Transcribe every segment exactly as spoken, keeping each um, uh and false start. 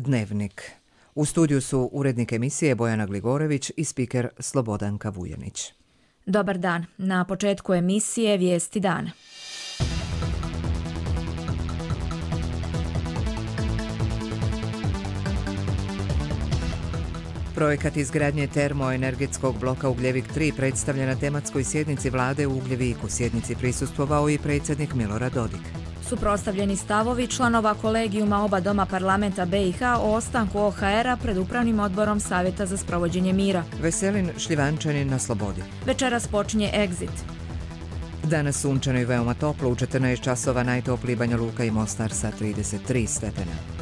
Dnevnik. U studiju su urednik emisije Bojana Gligorević i spiker Slobodanka Vujanić. Dobar dan. Na početku emisije Vijesti dana. Projekat izgradnje termoenergetskog bloka Ugljevik tri predstavlja na tematskoj sjednici vlade u Ugljeviku. Sjednici prisustvovao i predsjednik Milorad Dodik. Suprotstavljeni stavovi članova kolegijuma oba doma parlamenta be i ha o ostanku o ha era pred upravnim odborom Savjeta za sprovođenje mira. Veselin Šljivančanin na slobodi. Večeras počinje Exit. Danas sunčano i veoma toplo, u četrnaest časova najtopliji Banja Luka i Mostar sa trideset tri stepena.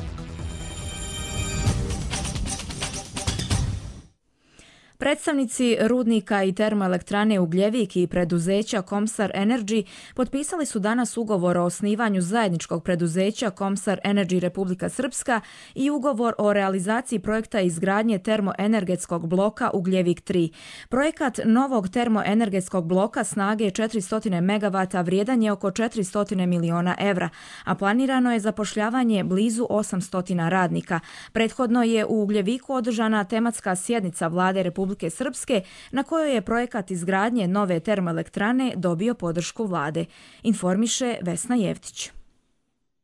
Predstavnici rudnika i termoelektrane Ugljevik i preduzeća Komsar Energy potpisali su danas ugovor o osnivanju zajedničkog preduzeća Komsar Energy Republika Srpska i ugovor o realizaciji projekta izgradnje termoenergetskog bloka Ugljevik tri. Projekat novog termoenergetskog bloka snage četiristo megavata vrijedan je oko četiristo miliona evra, a planirano je zapošljavanje blizu osamsto radnika. Prethodno je u Ugljeviku održana tematska sjednica vlade Republike Republike Srpske, na kojoj je projekat izgradnje nove termoelektrane dobio podršku vlade, informiše Vesna Jevtić.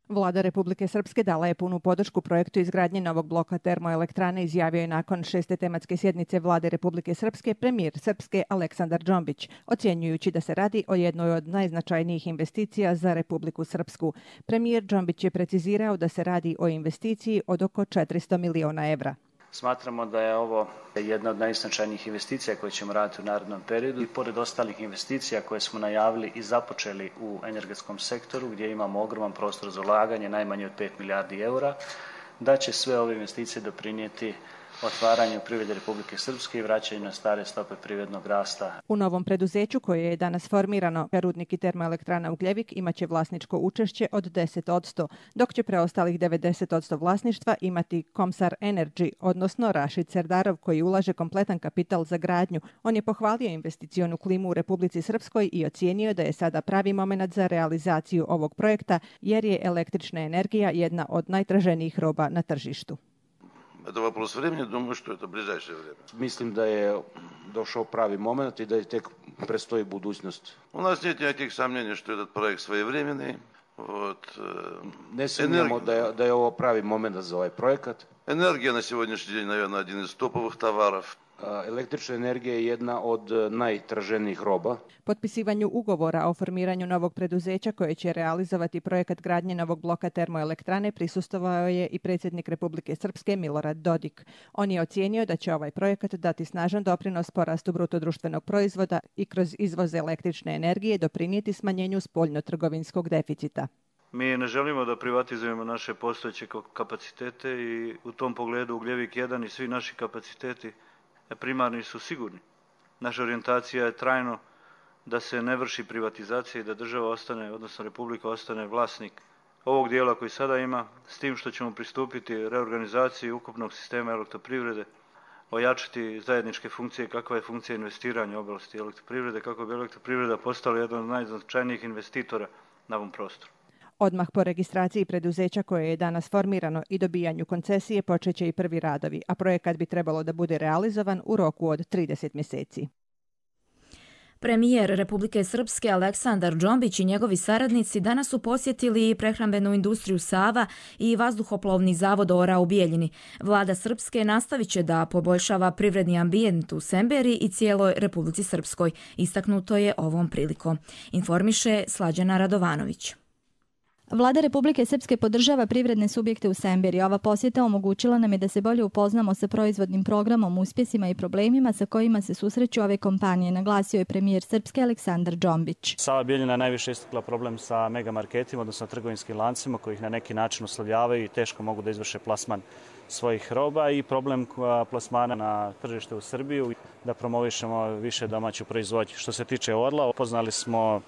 Vlada Republike Srpske dala je punu podršku projektu izgradnje novog bloka termoelektrane, izjavio je nakon šeste tematske sjednice Vlade Republike Srpske premijer Srpske Aleksandar Džombić, ocjenjujući da se radi o jednoj od najznačajnijih investicija za Republiku Srpsku. Premijer Džombić je precizirao da se radi o investiciji od oko četiristo miliona evra. Smatramo da je ovo jedna od najznačajnijih investicija koje ćemo raditi u narednom periodu i pored ostalih investicija koje smo najavili i započeli u energetskom sektoru gdje imamo ogroman prostor za ulaganje, najmanje od pet milijardi eura, da će sve ove investicije doprinijeti otvaranju privrede Republike Srpske i vraćanju na stare stope privrednog rasta. U novom preduzeću koje je danas formirano, rudnik i termoelektrana Ugljevik imaće vlasničko učešće od deset posto, dok će preostalih devedeset posto vlasništva imati Komsar Energy, odnosno Rašid Serdarov, koji ulaže kompletan kapital za gradnju. On je pohvalio investicionu klimu u Republici Srpskoj i ocijenio da je sada pravi moment za realizaciju ovog projekta, jer je električna energija jedna od najtraženijih roba na tržištu. Это вопрос времени, думаю, что это ближайшее время. Mislim da je došao pravi moment i da je tek predstoji budućnost. У нас нет никаких сомнений, что этот проект своевременный. Вот. Ne sumnjamo da je, da je ovo pravi moment za ovaj projekat. Энергия на сегодняшний день, наверное, один из топовых товаров. Električna energija je jedna od najtraženijih roba. Potpisivanju ugovora o formiranju novog preduzeća koje će realizovati projekat gradnje novog bloka termoelektrane prisustvovao je i predsjednik Republike Srpske Milorad Dodik. On je ocijenio da će ovaj projekat dati snažan doprinos porastu bruto društvenog proizvoda i kroz izvoz električne energije doprinijeti smanjenju spoljno-trgovinskog deficita. Mi ne želimo da privatizujemo naše postojeće kapacitete i u tom pogledu Ugljevik jedan i svi naši kapaciteti primarni su sigurni. Naša orijentacija je trajno da se ne vrši privatizacija i da država ostane, odnosno Republika ostane vlasnik ovog dijela koji sada ima, s tim što ćemo pristupiti reorganizaciji ukupnog sistema elektroprivrede, ojačati zajedničke funkcije, kakva je funkcija investiranja u oblasti elektroprivrede, kako bi elektroprivreda postala jedan od najznačajnijih investitora na ovom prostoru. Odmah po registraciji preduzeća koje je danas formirano i dobijanju koncesije počeće i prvi radovi, a projekat bi trebalo da bude realizovan u roku od trideset mjeseci. Premijer Republike Srpske Aleksandar Džombić i njegovi saradnici danas su posjetili prehrambenu industriju Sava i vazduhoplovni zavod Ora u Bijeljini. Vlada Srpske nastavit će da poboljšava privredni ambijent u Semberi i cijeloj Republici Srpskoj. Istaknuto je ovom prilikom. Informiše Slađana Radovanović. Vlada Republike Srpske podržava privredne subjekte u Semberi. Ova posjeta omogućila nam je da se bolje upoznamo sa proizvodnim programom, uspjesima i problemima sa kojima se susreću ove kompanije, naglasio je premijer Srpske Aleksandar Džombić. Sava Bijeljina najviše istakla problem sa megamarketima, odnosno trgovinskim lancima koji ih na neki način uslovljavaju i teško mogu da izvrše plasman svojih roba i problem plasmana na tržište u Srbiju, da promovišemo više domaću proizvodnju. Što se tiče Orla, upoznali smo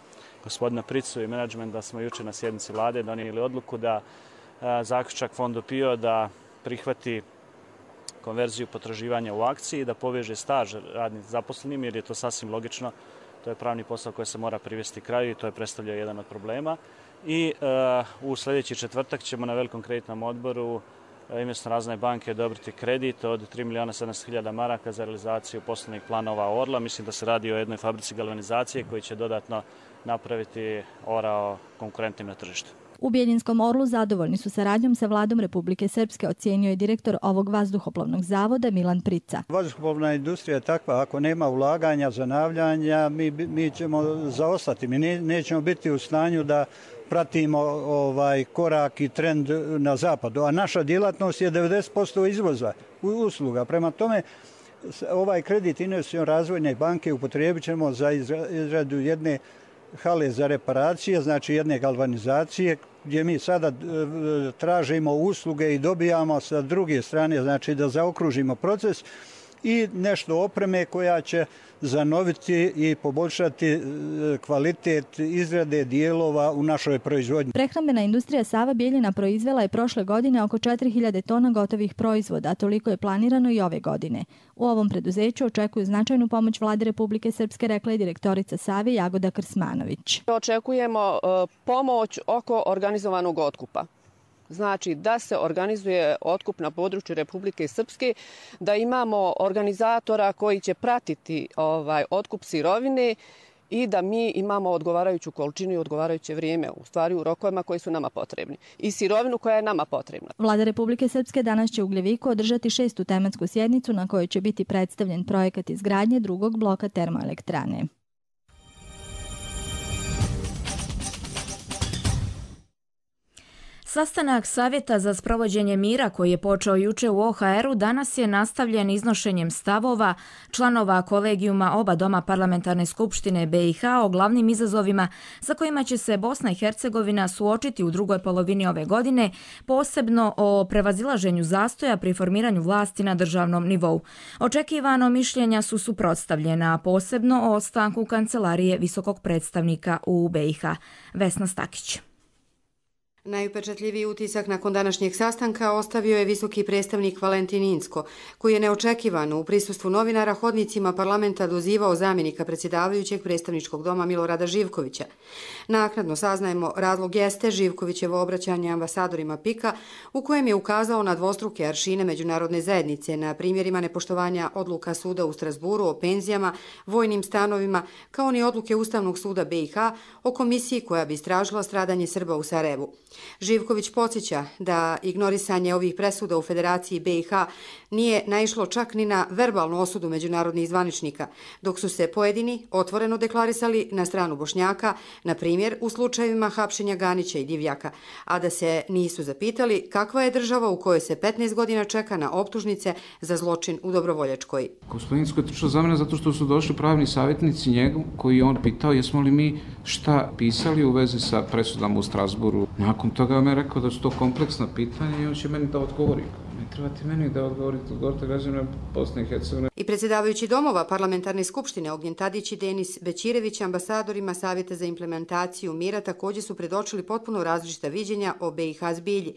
gospodina Pricu i menadžment da smo jučer na sjednici vlade donijeli odluku da a, zaključak Fondu PIO da prihvati konverziju potraživanja u akciji i da poveže staž radnih zaposlenim, jer je to sasvim logično. To je pravni posao koji se mora privesti kraju i to je predstavljao jedan od problema. I a, u sljedeći četvrtak ćemo na velikom kreditnom odboru Investicione razvojne banke odobriti kredit od tri miliona sedamsto hiljada maraka za realizaciju poslovnih planova Orla. Mislim da se radi o jednoj fabrici galvanizacije koji će dodatno napraviti Orao konkurentnim na tržištu. U Bjeljinskom Orlu zadovoljni su saradnjom sa vladom Republike Srpske, ocijenio je direktor ovog vazduhoplovnog zavoda Milan Prica. Vazduhoplovna industrija je takva, ako nema ulaganja, zanavljanja, mi, mi ćemo zaostati. Mi ne, nećemo biti u stanju da pratimo ovaj korak i trend na zapadu. A naša djelatnost je devedeset posto izvoza usluga. Prema tome, ovaj kredit Investicione razvojne banke upotrijebit ćemo za izradu jedne hale za reparacije, znači jedne galvanizacije, gdje mi sada tražimo usluge i dobijamo sa druge strane, znači da zaokružimo proces, i nešto opreme koja će zanoviti i poboljšati kvalitet izrade dijelova u našoj proizvodnji. Prehrambena industrija Sava Bijeljina proizvela je prošle godine oko četiri hiljade tona gotovih proizvoda, a toliko je planirano i ove godine. U ovom preduzeću očekuju značajnu pomoć Vlade Republike Srpske, rekla je direktorica Save Jagoda Krsmanović. Očekujemo pomoć oko organizovanog otkupa. Znači da se organizuje otkup na području Republike Srpske, da imamo organizatora koji će pratiti ovaj otkup sirovine i da mi imamo odgovarajuću količinu i odgovarajuće vrijeme, u stvari u rokovima koji su nama potrebni, i sirovinu koja je nama potrebna. Vlada Republike Srpske danas će u Ugljeviku održati šestu tematsku sjednicu na kojoj će biti predstavljen projekat izgradnje drugog bloka termoelektrane. Sastanak Savjeta za sprovođenje mira koji je počeo juče u O H R-u danas je nastavljen iznošenjem stavova članova kolegijuma oba doma parlamentarne skupštine B i H o glavnim izazovima za kojima će se Bosna i Hercegovina suočiti u drugoj polovini ove godine, posebno o prevazilaženju zastoja pri formiranju vlasti na državnom nivou. Očekivano mišljenja su suprotstavljena, posebno o ostanku kancelarije visokog predstavnika u B i H. Vesna Stakić. Najupečatljiviji utisak nakon današnjeg sastanka ostavio je visoki predstavnik Valentin Inzko, koji je neočekivano u prisustvu novinara hodnicima parlamenta dozivao zamjenika predsjedavajućeg predstavničkog doma Milorada Živkovića. Naknadno saznajemo razlog jeste Živkovićevo obraćanje ambasadorima P I K-a, u kojem je ukazao na dvostruke aršine međunarodne zajednice na primjerima nepoštovanja odluka suda u Strasburu o penzijama, vojnim stanovima, kao ni odluke Ustavnog suda B i H o komisiji koja bi istražila stradanje Srba u Sarajevu. Živković podsjeća da ignorisanje ovih presuda u Federaciji B i H nije naišlo čak ni na verbalnu osudu međunarodnih zvaničnika, dok su se pojedini otvoreno deklarisali na stranu Bošnjaka, na primjer u slučajevima hapšenja Ganića i Divjaka, a da se nisu zapitali kakva je država u kojoj se petnaest godina čeka na optužnice za zločin u Dobrovoljačkoj. Gospodinsko je trčao za mene zato što su došli pravni savjetnici njegov, koji je on pitao jesmo li mi šta pisali u vezi sa presudama u Strasburu. Nakon toga me rekao da su to kompleksna pitanja i on će meni da odgovori. Ne trebate meni da odgovorite, odgovorite građanima Bosne i Hercegovine. I predsjedavajući domova parlamentarne skupštine Ognjen Tadić i Denis Bećirević, ambasadorima Savjeta za implementaciju mira, također su predočili potpuno različita viđenja o B i H zbilji.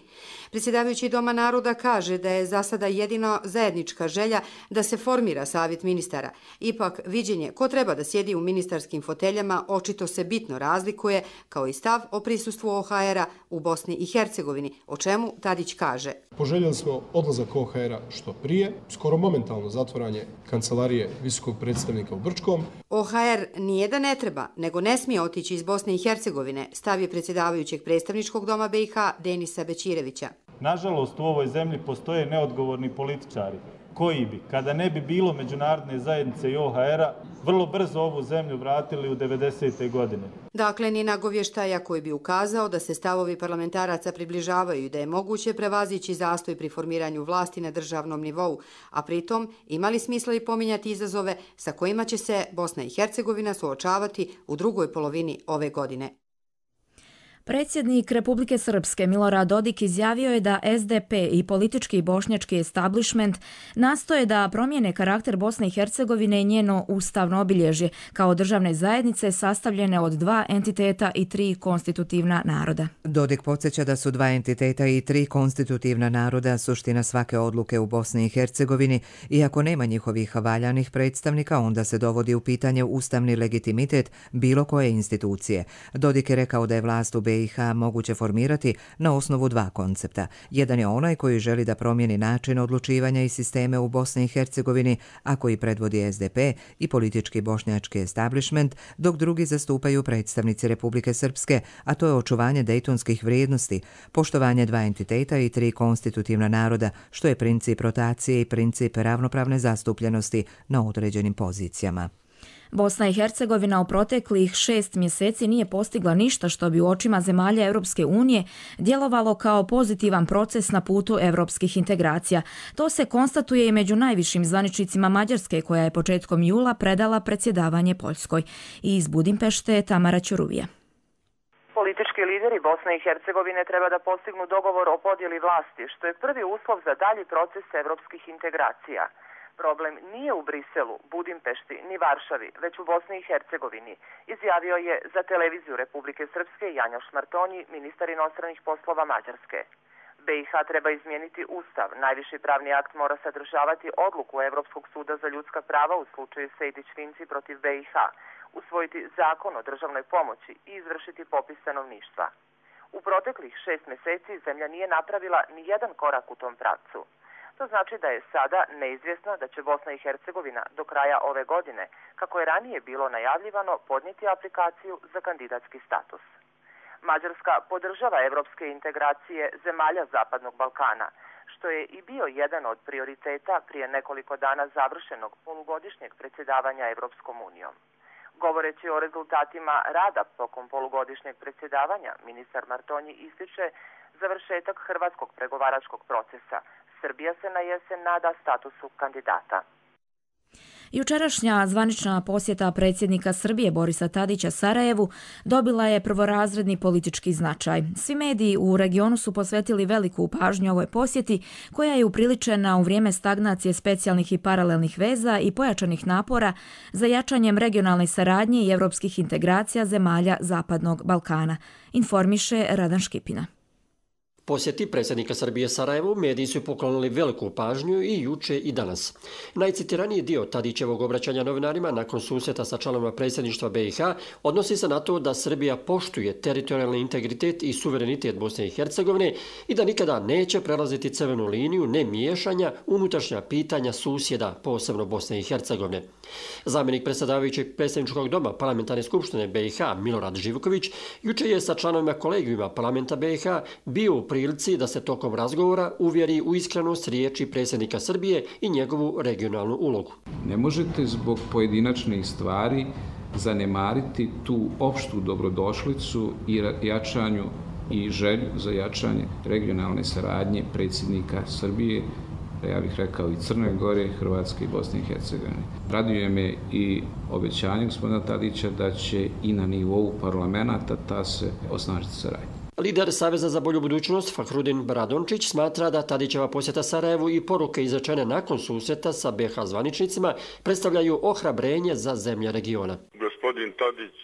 Predsjedavajući Doma naroda kaže da je za sada jedina zajednička želja da se formira savjet ministara. Ipak viđenje ko treba da sjedi u ministarskim foteljama očito se bitno razlikuje, kao i stav o prisustvu O H R-a u Bosni i Hercegovini, o čemu Tadić kaže. Poželjeli smo odlazak O H R-a što prije, skoro momentalno zatvaranje kancelarije visokog predstavnika u Brčkom. O H R nije da ne treba, nego ne smije otići iz Bosne i Hercegovine, stav je predsjedavajućeg predstavničkog doma B i H Denisa Bećirevića. Nažalost, u ovoj zemlji postoje neodgovorni političari koji bi, kada ne bi bilo međunarodne zajednice i O H R-a, vrlo brzo ovu zemlju vratili u devedesete godine. Dakle, ni nagovještaja koji bi ukazao da se stavovi parlamentaraca približavaju i da je moguće prevazići zastoj pri formiranju vlasti na državnom nivou, a pritom imali smisla i pominjati izazove sa kojima će se Bosna i Hercegovina suočavati u drugoj polovini ove godine. Predsjednik Republike Srpske Milorad Dodik izjavio je da S D P i politički bošnjački establishment nastoje da promijene karakter Bosne i Hercegovine i njeno ustavno obilježje kao državne zajednice sastavljene od dva entiteta i tri konstitutivna naroda. Dodik podsjeća da su dva entiteta i tri konstitutivna naroda suština svake odluke u Bosni i Hercegovini i ako nema njihovih valjanih predstavnika, onda se dovodi u pitanje ustavni legitimitet bilo koje institucije. Dodik je rekao da je vlast u B B i H moguće formirati na osnovu dva koncepta. Jedan je onaj koji želi da promijeni način odlučivanja i sisteme u Bosni i Hercegovini, a koji predvodi S D P i politički bošnjački establishment, dok drugi zastupaju predstavnici Republike Srpske, a to je očuvanje dejtonskih vrijednosti, poštovanje dva entiteta i tri konstitutivna naroda, što je princip rotacije i princip ravnopravne zastupljenosti na određenim pozicijama. Bosna i Hercegovina u proteklih šest mjeseci nije postigla ništa što bi u očima zemalja Europske unije djelovalo kao pozitivan proces na putu europskih integracija. To se konstatuje i među najvišim zvaničnicima Mađarske, koja je početkom jula predala predsjedavanje Poljskoj. I iz Budimpešte Tamara Ćuruvija. Politički lideri Bosne i Hercegovine treba da postignu dogovor o podjeli vlasti, što je prvi uslov za dalji proces evropskih integracija. Problem nije u Briselu, Budimpešti ni Varšavi, već u Bosni i Hercegovini, izjavio je za televiziju Republike Srpske Janjoš Martonji, ministar inostranih poslova Mađarske. B i H treba izmijeniti ustav. Najviši pravni akt mora sadržavati odluku Evropskog suda za ljudska prava u slučaju Sejdić-Finci protiv B i H, usvojiti zakon o državnoj pomoći i izvršiti popis stanovništva. U proteklih šest mjeseci zemlja nije napravila ni jedan korak u tom pravcu. To znači da je sada neizvjesno da će Bosna i Hercegovina do kraja ove godine, kako je ranije bilo najavljivano, podnijeti aplikaciju za kandidatski status. Mađarska podržava evropske integracije zemalja Zapadnog Balkana, što je i bio jedan od prioriteta prije nekoliko dana završenog polugodišnjeg predsjedavanja Evropskom unijom. Govoreći o rezultatima rada tokom polugodišnjeg predsjedavanja, ministar Martonji ističe završetak hrvatskog pregovaračkog procesa. Srbija se na jesen nada statusu kandidata. Jučerašnja zvanična posjeta predsjednika Srbije Borisa Tadića Sarajevu dobila je prvorazredni politički značaj. Svi mediji u regionu su posvetili veliku pažnju ovoj posjeti, koja je upriličena u vrijeme stagnacije specijalnih i paralelnih veza i pojačanih napora za jačanjem regionalne saradnje i evropskih integracija zemalja Zapadnog Balkana, informiše Radan Škipina. Posjeti predsjednika Srbije Sarajevu mediji su poklonili veliku pažnju i juče i danas. Najcitiraniji dio Tadićevog obraćanja novinarima nakon susreta sa članovima predsjedništva B i H odnosi se na to da Srbija poštuje teritorijalni integritet i suverenitet Bosne i Hercegovine i da nikada neće prelaziti crvenu liniju nemiješanja unutrašnja pitanja susjeda, posebno Bosne i Hercegovine. Zamjenik predsjedavajućeg predsjedničkog doma Parlamentarne skupštine B i H Milorad Živković juče je sa članovima kolegijuma Parlamenta B i H bio u prilici da se tokom razgovora uvjeri u iskrenost riječi predsjednika Srbije i njegovu regionalnu ulogu. Ne možete zbog pojedinačnih stvari zanemariti tu opštu dobrodošlicu i jačanju i želju za jačanje regionalne saradnje predsjednika Srbije, ja bih rekao i Crne Gore, Hrvatske i Bosne i Hercegovine. Raduje me i obećanje gospodina Tadića da će i na nivou parlamenta ta se osnažiti saradnja. Lider Saveza za bolju budućnost Fahrudin Bradončić smatra da Tadićeva posjeta Sarajevu i poruke izrečene nakon susreta sa B H zvaničnicima predstavljaju ohrabrenje za zemlje regiona. Gospodin Tadić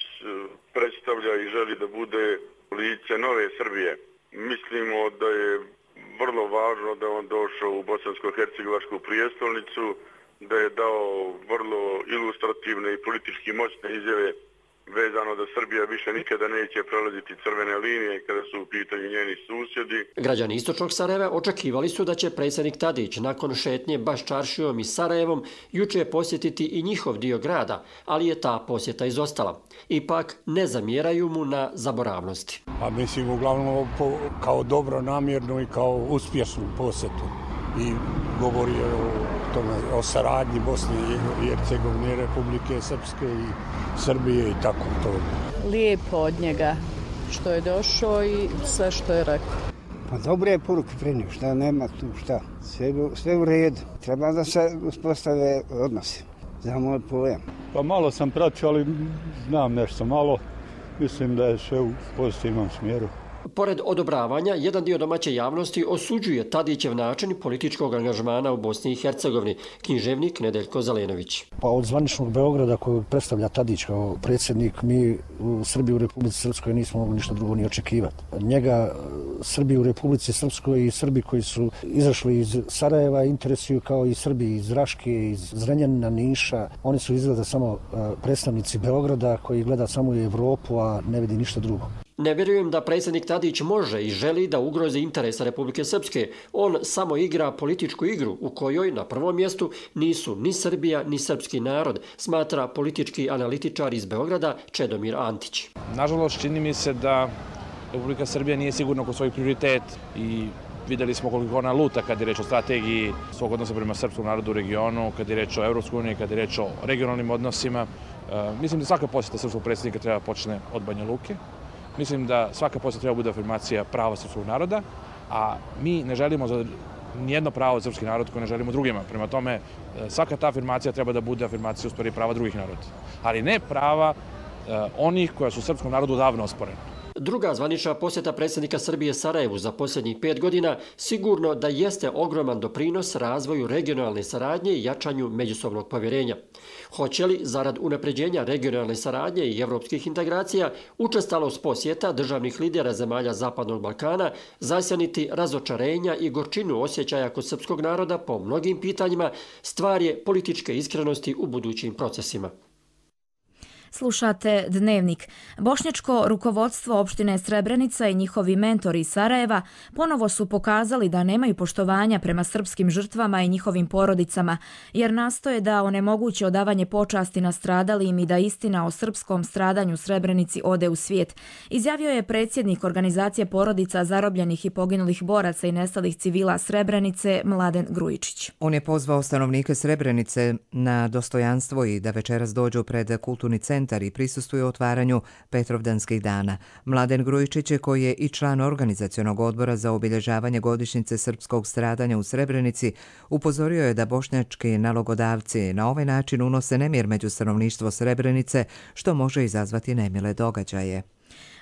predstavlja i želi da bude lice nove Srbije. Mislimo da je vrlo važno da on došao u bosansko-hercegovačku prijestolnicu, da je dao vrlo ilustrativne i politički moćne izjave vezano da Srbija više nikada neće prelaziti crvene linije kada su u pitanju njeni susjedi. Građani istočnog Sarajeva očekivali su da će predsjednik Tadić nakon šetnje baš čaršijom i Sarajevom juče posjetiti i njihov dio grada, ali je ta posjeta izostala. Ipak ne zamjeraju mu na zaboravnosti. A mislim uglavnom kao dobro namjernu i kao uspješnu posjetu. I govori o tome, o saradnji Bosne i Hercegovine, Republike Srpske i Srbije i tako to. Lijepo od njega što je došao i sve što je rekao. Pa dobro je poruku prenio, šta nema tu, šta, sve, sve u redu. Treba da se uspostave odnose, za moj pojam. Pa malo sam pratio, ali znam nešto malo, mislim da je sve u pozitivnom smjeru. Pored odobravanja, jedan dio domaće javnosti osuđuje Tadićev način političkog angažmana u Bosni i Hercegovini, književnik Nedeljko Zelenović. Pa od zvaničnog Beograda koju predstavlja Tadić kao predsjednik, mi u Srbiji u Republici Srpskoj nismo mogli ništa drugo ni očekivati. Njega Srbi u Republici Srpskoj i Srbi koji su izašli iz Sarajeva interesuju kao i Srbi iz Raške, iz Zrenjanina, Niša. Oni su izgleda samo predstavnici Beograda koji gleda samo u Evropu, a ne vidi ništa drugo. Ne vjerujem da predsjednik Tadić može i želi da ugrozi interesa Republike Srpske. On samo igra političku igru u kojoj na prvom mjestu nisu ni Srbija ni srpski narod, smatra politički analitičar iz Beograda Čedomir Antić. Nažalost, čini mi se da Republika Srbija nije sigurna oko svojih prioritet i videli smo koliko ona luta kad je reč o strategiji svog odnosa prema srpskom narodu u regionu, kad je reč o Evropskoj uniji, kad je reč o regionalnim odnosima. E, mislim da svaka posjeta srpskog predsjednika treba počne od Banja Luke. Mislim da svaka posjeta treba bude afirmacija prava srpskog naroda, a mi ne želimo za nijedno pravo za srpski narod koje ne želimo drugima. Prema tome, svaka ta afirmacija treba da bude afirmacija u stvari prava drugih naroda. Ali ne prava e, onih koja su srpskom narodu davno osporena. Druga zvanična posjeta predsjednika Srbije Sarajevu za posljednjih pet godina sigurno da jeste ogroman doprinos razvoju regionalne saradnje i jačanju međusobnog povjerenja. Hoće li, zarad unapređenja regionalne saradnje i evropskih integracija, učestalost posjeta državnih lidera zemalja Zapadnog Balkana zasjaniti razočarenja i gorčinu osjećaja kod srpskog naroda po mnogim pitanjima, stvar je političke iskrenosti u budućim procesima. Slušate Dnevnik. Bošnjačko rukovodstvo opštine Srebrenica i njihovi mentori iz Sarajeva ponovo su pokazali da nemaju poštovanja prema srpskim žrtvama i njihovim porodicama, jer nastoje da onemoguće odavanje počasti nastradalim i da istina o srpskom stradanju Srebrenici ode u svijet, izjavio je predsjednik organizacije porodica zarobljenih i poginulih boraca i nestalih civila Srebrenice Mladen Grujičić. On je pozvao stanovnike Srebrenice na dostojanstvo i da večeras dođu pred kulturni centar i prisustvuje otvaranju Petrovdanskih dana. Mladen Grujičić, koji je i član organizacionog odbora za obilježavanje godišnjice srpskog stradanja u Srebrenici, upozorio je da bošnjački nalogodavci na ovaj način unose nemir među stanovništvo Srebrenice, što može izazvati nemile događaje.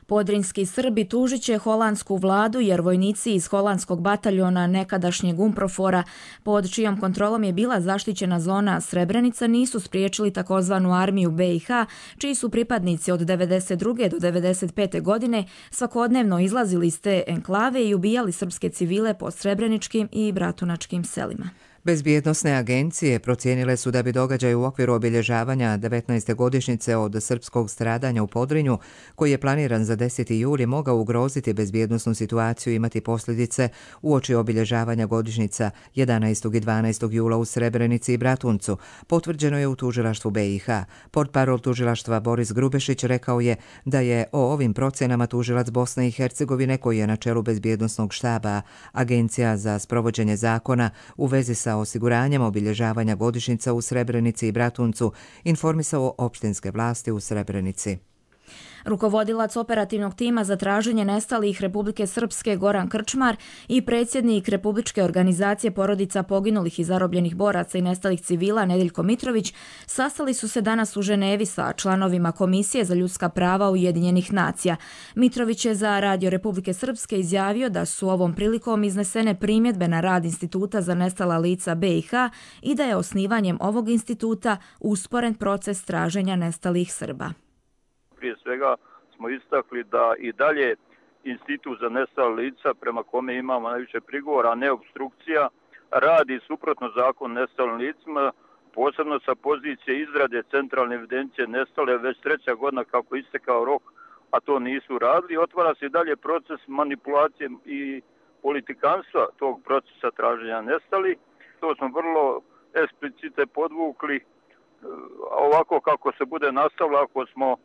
Podrinski Srbi tužit će holandsku vladu jer vojnici iz holandskog bataljona nekadašnjeg Umprofora, pod čijom kontrolom je bila zaštićena zona Srebrenica, nisu spriječili takozvanu armiju B i H, čiji su pripadnici od devedeset druge do devedeset pete godine svakodnevno izlazili iz te enklave i ubijali srpske civile po srebreničkim i bratunačkim selima. Bezbjednosne agencije procijenile su da bi događaj u okviru obilježavanja devetnaeste godišnjice od srpskog stradanja u Podrinju, koji je planiran za deseti juli, mogao ugroziti bezbjednosnu situaciju i imati posljedice uoči obilježavanja godišnjica jedanaestog i dvanaestog jula u Srebrenici i Bratuncu, potvrđeno je u tužilaštvu B i H. Portparol tužilaštva Boris Grubešić rekao je da je o ovim procjenama tužilac Bosne i Hercegovine, koji je na čelu bezbjednosnog štaba Agencija za sprovođenje zakona u vezi sa osiguranjem obilježavanja godišnjica u Srebrenici i Bratuncu, informisao opštinske vlasti u Srebrenici. Rukovodilac operativnog tima za traženje nestalih Republike Srpske Goran Krčmar i predsjednik Republičke organizacije porodica poginulih i zarobljenih boraca i nestalih civila Nedeljko Mitrović sastali su se danas u Ženevi sa članovima Komisije za ljudska prava Ujedinjenih nacija. Mitrović je za Radio Republike Srpske izjavio da su ovom prilikom iznesene primjedbe na rad Instituta za nestala lica B i H i da je osnivanjem ovog instituta usporen proces traženja nestalih Srba. Prije svega smo istakli da i dalje Institut za nestala lica, prema kome imamo najviše prigovora, a ne obstrukcija, radi suprotno zakon nestalim licima, posebno sa pozicije izrade centralne evidencije nestale, već treća godina kako istekao rok, a to nisu radili. Otvara se i dalje proces manipulacije i politikanstva tog procesa traženja nestali. To smo vrlo eksplicite podvukli, ovako kako se bude nastavilo, ako smo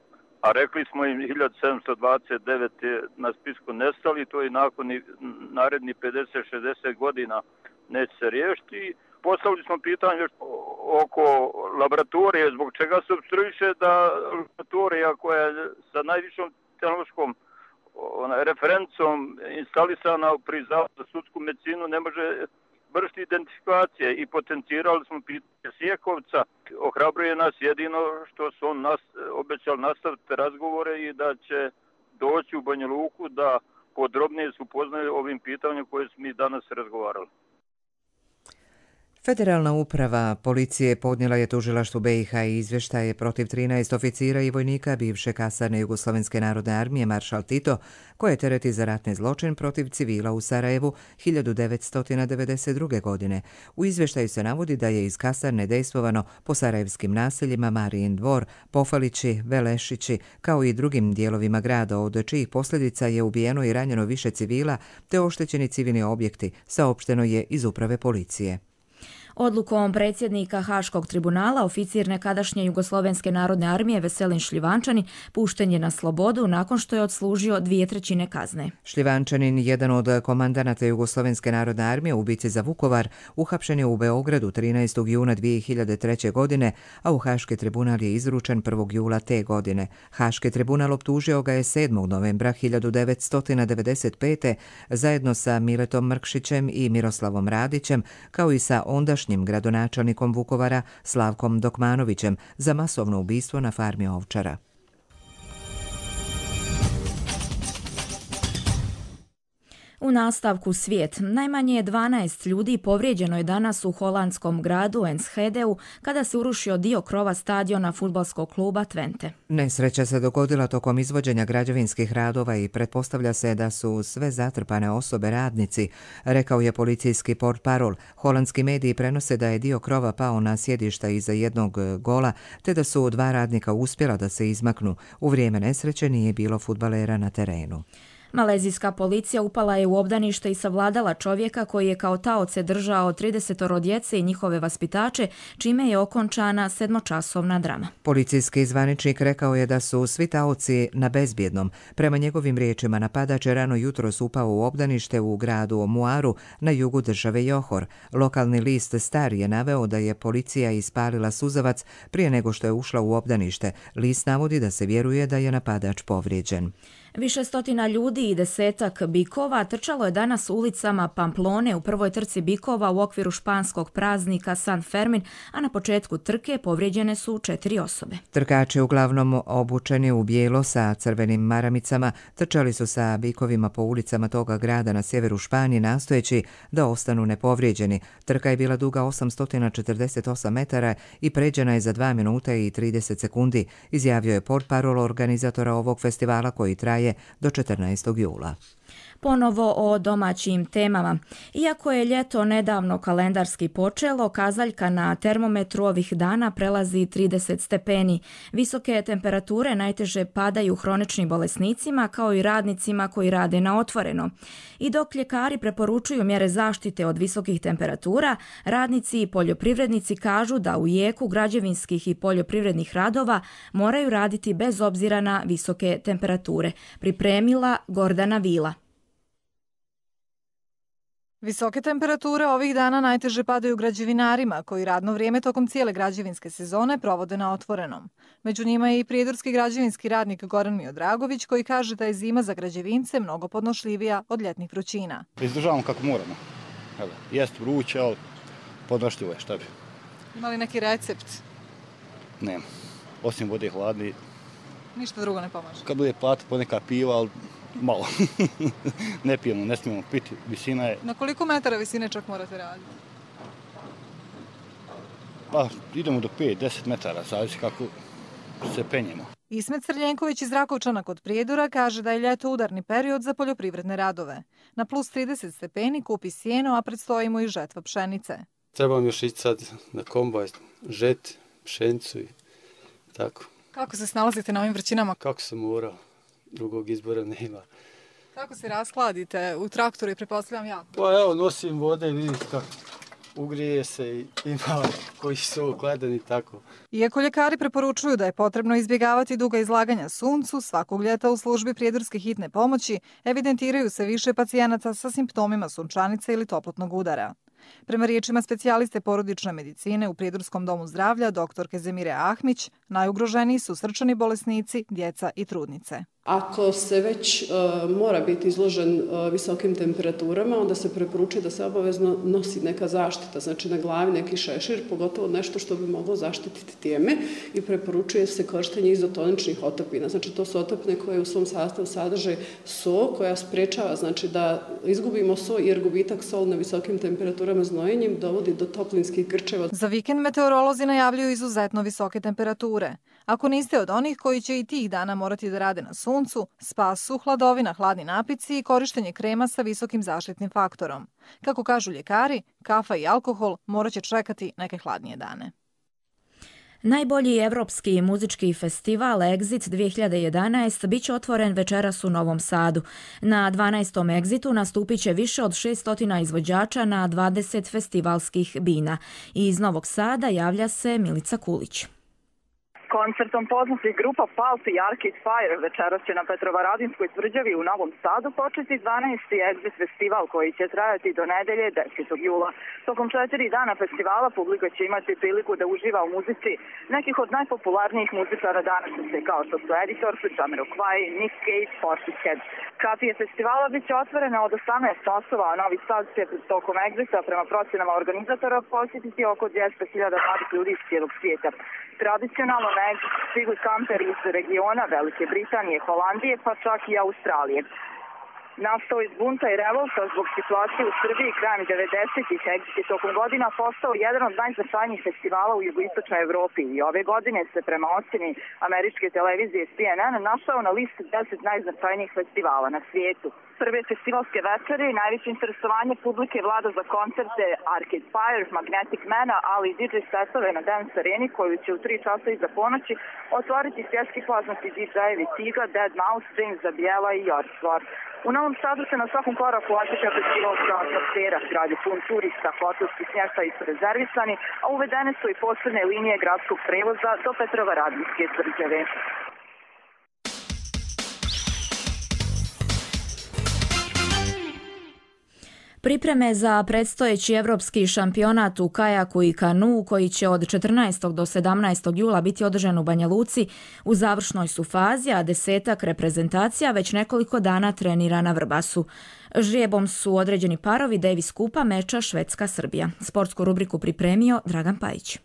a rekli smo im hiljadu sedamsto dvadeset devet na spisku nestali, to i nakon naredni pedeset šezdeset godina neće se riješiti. Postavili smo pitanje oko laboratorije, zbog čega se obstruiše da laboratorija koja je sa najvišom tehnološkom referencom instalisana pri Zavodu za sudsku medicinu ne može vršiti identifikacije i potencirali smo pitanje Sjekovca. Ohrabruje nas jedino što su on nas, obećali nastaviti razgovore i da će doći u Banja Luku da podrobnije se upoznaju ovim pitanjem koje smo mi danas razgovarali. Federalna uprava policije podnijela je tužilaštvu B i H izvještaje protiv trinaest oficira i vojnika bivše kasarne Jugoslovenske narodne armije Maršal Tito, koje tereti za ratni zločin protiv civila u Sarajevu hiljadu devetsto devedeset druge. godine. U izvještaju se navodi da je iz kasarne dejstvovano po sarajevskim naseljima Marijin dvor, Pofalići, Velešići, kao i drugim dijelovima grada, od čijih posljedica je ubijeno i ranjeno više civila te oštećeni civilni objekti, saopšteno je iz uprave policije. Odlukom predsjednika Haškog tribunala oficir nekadašnje Jugoslovenske narodne armije Veselin Šljivančanin pušten je na slobodu nakon što je odslužio dvije trećine kazne. Šljivančanin, jedan od komandanata Jugoslovenske narodne armije u bici za Vukovar, uhapšen je u Beogradu trinaestog juna dvije hiljade treće. godine, a u Haški tribunal je izručen prvog jula te godine. Haški tribunal optužio ga je sedmog novembra hiljadu devetsto devedeset pete. zajedno sa Miletom Mrkšićem i Miroslavom Radićem, kao i sa ondašnjim gradonačelnikom Vukovara Slavkom Dokmanovićem za masovno ubistvo na farmi ovčara. U nastavku svijet, najmanje dvanaest ljudi povrijeđeno je danas u holandskom gradu Enschedeu kada se urušio dio krova stadiona fudbalskog kluba Twente. Nesreća se dogodila tokom izvođenja građevinskih radova i pretpostavlja se da su sve zatrpane osobe radnici, rekao je policijski portparol. Holandski mediji prenose da je dio krova pao na sjedišta iza jednog gola, te da su dva radnika uspjela da se izmaknu. U vrijeme nesreće nije bilo fudbalera na terenu. Malezijska policija upala je u obdanište i savladala čovjeka koji je kao taoce držao tridesetoro djece i njihove vaspitače, čime je okončana sedmočasovna drama. Policijski zvaničnik rekao je da su svi taoci na bezbjednom. Prema njegovim riječima, napadač je rano jutros upao u obdanište u gradu Muaru na jugu države Johor. Lokalni list Star je naveo da je policija ispalila suzavac prije nego što je ušla u obdanište. List navodi da se vjeruje da je napadač povrijeđen. Više stotina ljudi i desetak bikova trčalo je danas ulicama Pamplone u prvoj trci bikova u okviru španskog praznika San Fermin, a na početku trke povrijeđene su četiri osobe. Trkači, uglavnom obučeni u bijelo sa crvenim maramicama, trčali su sa bikovima po ulicama toga grada na sjeveru Španije, nastojeći da ostanu nepovrijeđeni. Trka je bila duga osamsto četrdeset osam metara i pređena je za dva minuta i trideset sekundi, izjavio je portparol organizatora ovog festivala koji traje do četrnaestog jula. Ponovo o domaćim temama. Iako je ljeto nedavno kalendarski počelo, kazaljka na termometru ovih dana prelazi trideset stepeni. Visoke temperature najteže padaju hroničnim bolesnicima kao i radnicima koji rade na otvoreno. I dok ljekari preporučuju mjere zaštite od visokih temperatura, radnici i poljoprivrednici kažu da u jeku građevinskih i poljoprivrednih radova moraju raditi bez obzira na visoke temperature. Pripremila Gordana Vila. Visoke temperature ovih dana najteže padaju građevinarima koji radno vrijeme tokom cijele građevinske sezone provode na otvorenom. Među njima je i prijedorski građevinski radnik Goran Miodragović koji kaže da je zima za građevince mnogo podnošljivija od ljetnih vrućina. Izdržavamo kako moramo. Evo, jest vruće, ali podnošljivo je, šta bi. Ima li neki recept? Nema. Osim vode hladni. Ništa drugo ne pomaže. Kad bude plata poneka piva, ali malo. Ne pijemo, ne smijemo piti. Visina je... Na koliko metara visine čak morate raditi? Pa idemo do pet do deset metara, zavisi kako se penjemo. Ismet Crljenković iz Rakovčana kod Prijedora kaže da je ljeto udarni period za poljoprivredne radove. Na plus trideset stepeni kupi sjeno, a predstoji mu i žetva pšenice. Trebam još ići sad na kombajn, žet, pšenicu i tako. Kako se snalazite na ovim vrćinama? Kako sam morao, drugog izbora nema. Kako se raskladite u traktoru i pretpostavljam jako? Pa evo, nosim vode i vidite kako ugrije se i ima koji su gledani tako. Iako ljekari preporučuju da je potrebno izbjegavati duga izlaganja suncu, svakog ljeta u službi prijedorske hitne pomoći evidentiraju se više pacijenata sa simptomima sunčanice ili toplotnog udara. Prema riječima specijaliste porodične medicine u Prijedorskom domu zdravlja, doktorke Zemire Ahmić, Najugroženiji su srčani bolesnici, djeca i trudnice. Ako se već uh, mora biti izložen uh, visokim temperaturama, onda se preporučuje da se obavezno nosi neka zaštita, znači na glavi neki šešir, pogotovo nešto što bi moglo zaštititi tijeme, i preporučuje se korištenje izotoničnih otopina. Znači to su otopine koje u svom sastavu sadrže so, koja sprečava znači da izgubimo so, jer gubitak sol na visokim temperaturama znojenjem dovodi do toplinskih grčeva. Za vikend meteorolozi najavljuju izuzetno visoke temperature. Ako niste od onih koji će i tih dana morati da rade na suncu, spas su hladovina, hladni napici i korištenje krema sa visokim zaštitnim faktorom. Kako kažu ljekari, kafa i alkohol morat će čekati neke hladnije dane. Najbolji evropski muzički festival Exit dvije hiljade jedanaest bit će otvoren večeras u Novom Sadu. Na dvanaestom Exitu nastupit će više od šesto izvođača na dvadeset festivalskih bina. Iz Novog Sada javlja se Milica Kulić. Koncertom poznatih grupa Pulp i Arcade Fire večeras će na Petrovaradinskoj tvrđavi u Novom Sadu početi dvanaesti Exit festival koji će trajati do nedelje desetog jula. Tokom četiri dana festivala publika će imati priliku da uživa u muzici nekih od najpopularnijih muzičara današnjice, kao što su Editors, Jamiroquai, Nick Cave, Portishead. Kafije festivala bit će otvorene od osamnaest časova, a Novi Sad će tokom Exita prema procenama organizatora posjetiti oko dvjesto hiljada mladih ljudi iz cijelog svijeta. Tradicionalno na Exit stigli kamperi iz regiona Velike Britanije, Holandije pa čak i Australije. Nastao iz bunta i revolta zbog situacije u Srbiji krajem devedesetih, Exit je tokom godina postao jedan od najznačajnijih festivala u jugoistočnoj Evropi i ove godine se prema ocjeni američke televizije C N N našao na listi deset najznačajnijih festivala na svijetu. Prve festivalske večere i najveće interesovanje publike vlada za koncerte Arcade Fire, Magnetic Mana, ali i D J setove na Dance Areni koju će u tri časa iza ponoći otvoriti svjetski poznati D J-evi Tiga, Dead Mouse, James Zabiela i Jorsvar. U Novom Sadu se na svakom koraku osjeća festivalska atmosfera, grad je pun turista, hotelski smještaji su rezervisani, a uvedene su i posebne linije gradskog prevoza do Petrovaradinske tvrđave. Pripreme za predstojeći evropski šampionat u kajaku i kanuu koji će od četrnaestog do sedamnaestog jula biti održan u Banja Luci u završnoj su fazi, a desetak reprezentacija već nekoliko dana trenira na Vrbasu. Žrijebom su određeni parovi Davis Kupa meča Švedska-Srbija. Sportsku rubriku pripremio Dragan Pajić.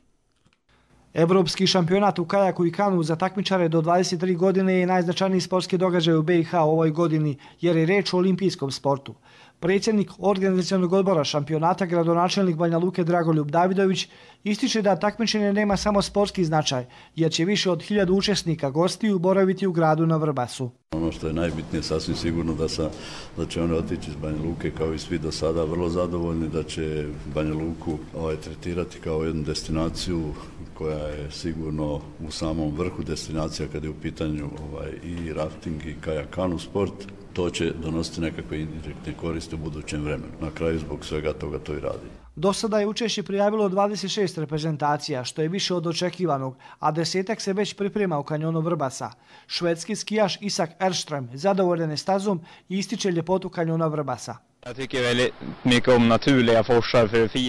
Evropski šampionat u kajaku i kanu za takmičare do dvadeset tri godine je najznačajniji sportski događaj u B i H u ovoj godini, jer je reč o olimpijskom sportu. Predsjednik organizacionog odbora šampionata, gradonačelnik Banja Luke Dragoljub Davidović, ističe da takmičenje nema samo sportski značaj, jer će više od hiljadu učesnika gostiju boraviti u gradu na Vrbasu. Ono što je najbitnije, sasvim sigurno da, sa, da će oni otići iz Banja Luke kao i svi do sada vrlo zadovoljni, da će Banja Luku ovaj, tretirati kao jednu destinaciju koja je sigurno u samom vrhu destinacija kada je u pitanju ovaj, i rafting i kajakanu sport. To će donositi nekakve indirektne koriste u budućem vremenu. Na kraju zbog svega toga to i radi. Do sada je učešće prijavilo dvadeset šest reprezentacija, što je više od očekivanog, a desetak se već priprema u kanjonu Vrbasa. Švedski skijaš Isak Erström zadovoljan je stazom i ističe ljepotu kanjona Vrbasa.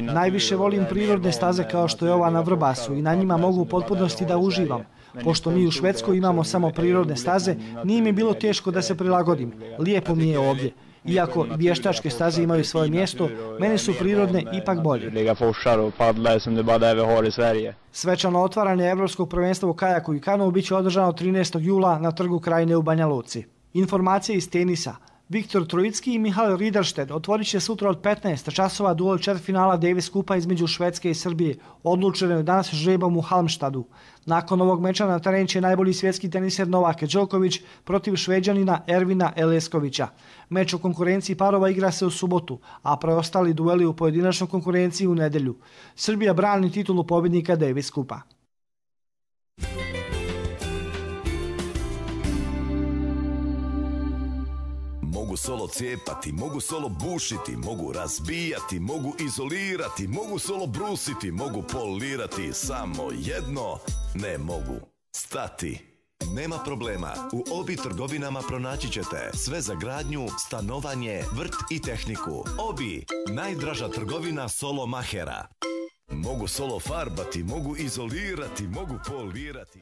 Najviše volim prirodne staze kao što je ova na Vrbasu i na njima mogu u potpunosti da uživam. Pošto mi u Švedskoj imamo samo prirodne staze, nije mi bilo teško da se prilagodim. Lijepo mi je ovdje. Iako vještačke staze imaju svoje mjesto, meni su prirodne ipak bolje. Svečano otvaranje Evropskog prvenstva u kajaku i kanu biće održano trinaestog jula na Trgu Krajine u Banja Luci. Informacije iz tenisa. Viktor Trojicki i Mihael Riederstedt otvorit će sutra od petnaest časova duel četvrtfinala Davis Kupa između Švedske i Srbije, odlučeno je danas žrebom u Halmstadu. Nakon ovog meča na teren će najbolji svjetski teniser Novak Đoković protiv Šveđanina Ervina Eleskovića. Meč u konkurenciji parova igra se u subotu, a preostali dueli u pojedinačnoj konkurenciji u nedjelju. Srbija brani titulu pobjednika Davis Kupa. Mogu solo cijepati, mogu solo bušiti, mogu razbijati, mogu izolirati, mogu solo brusiti, mogu polirati, samo jedno ne mogu stati. Nema problema, u Obi trgovinama pronaći ćete sve za gradnju, stanovanje, vrt i tehniku. Obi, najdraža trgovina solo mahera. Mogu solo farbati, mogu izolirati, mogu polirati.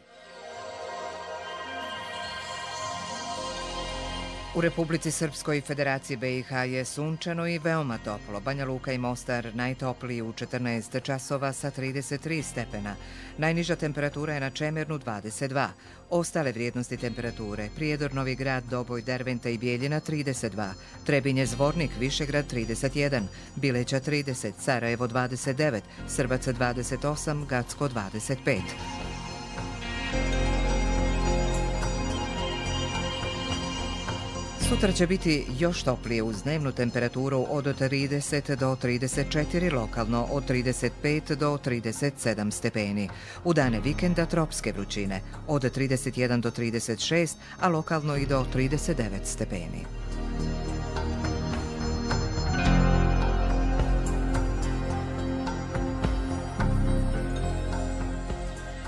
U Republici Srpskoj i Federaciji B i H je sunčano i veoma toplo. Banja Luka i Mostar najtopliji u četrnaest časova sa trideset tri stepena. Najniža temperatura je na Čemernu dvadeset dva. Ostale vrijednosti temperature: Prijedor, Novi Grad, Doboj, Derventa i Bijeljina trideset dva, Trebinje, Zvornik, Višegrad trideset jedan, Bileća trideset, Sarajevo dvadeset devet, Srbac dvadeset osam, Gacko dvadeset pet. Sutra će biti još toplije uz dnevnu temperaturu od trideset do trideset četiri, lokalno od trideset pet do trideset sedam stepeni. U dane vikenda tropske vrućine od trideset jedan do trideset šest, a lokalno i do trideset devet stepeni.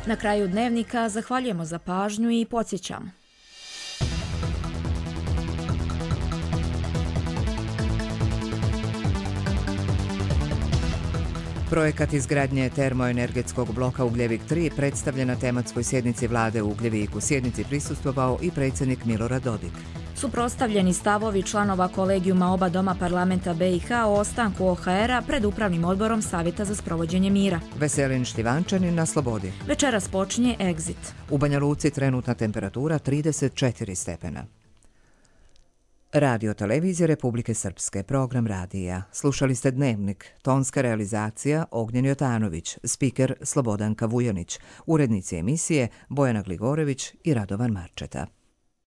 Na kraju dnevnika zahvaljujemo za pažnju i podsjećamo. Projekat izgradnje termoenergetskog bloka Ugljevik tri predstavljen na tematskoj sjednici vlade u Ugljeviku. Sjednici prisustvovao i predsjednik Milorad Dodik. Suprotstavljeni stavovi članova kolegijuma oba doma parlamenta B i H o ostanku O H R-a pred upravnim odborom Savjeta za sprovođenje mira. Veselin Šljivančanin na slobodi. Večeras počinje Exit. U Banja Luci trenutna temperatura trideset četiri stepena. Radio televizija Republike Srpske, program radija. Slušali ste Dnevnik, tonska realizacija Ognjen Jotanović, spiker Slobodanka Vujanić, urednici emisije Bojana Gligorević i Radovan Marčeta.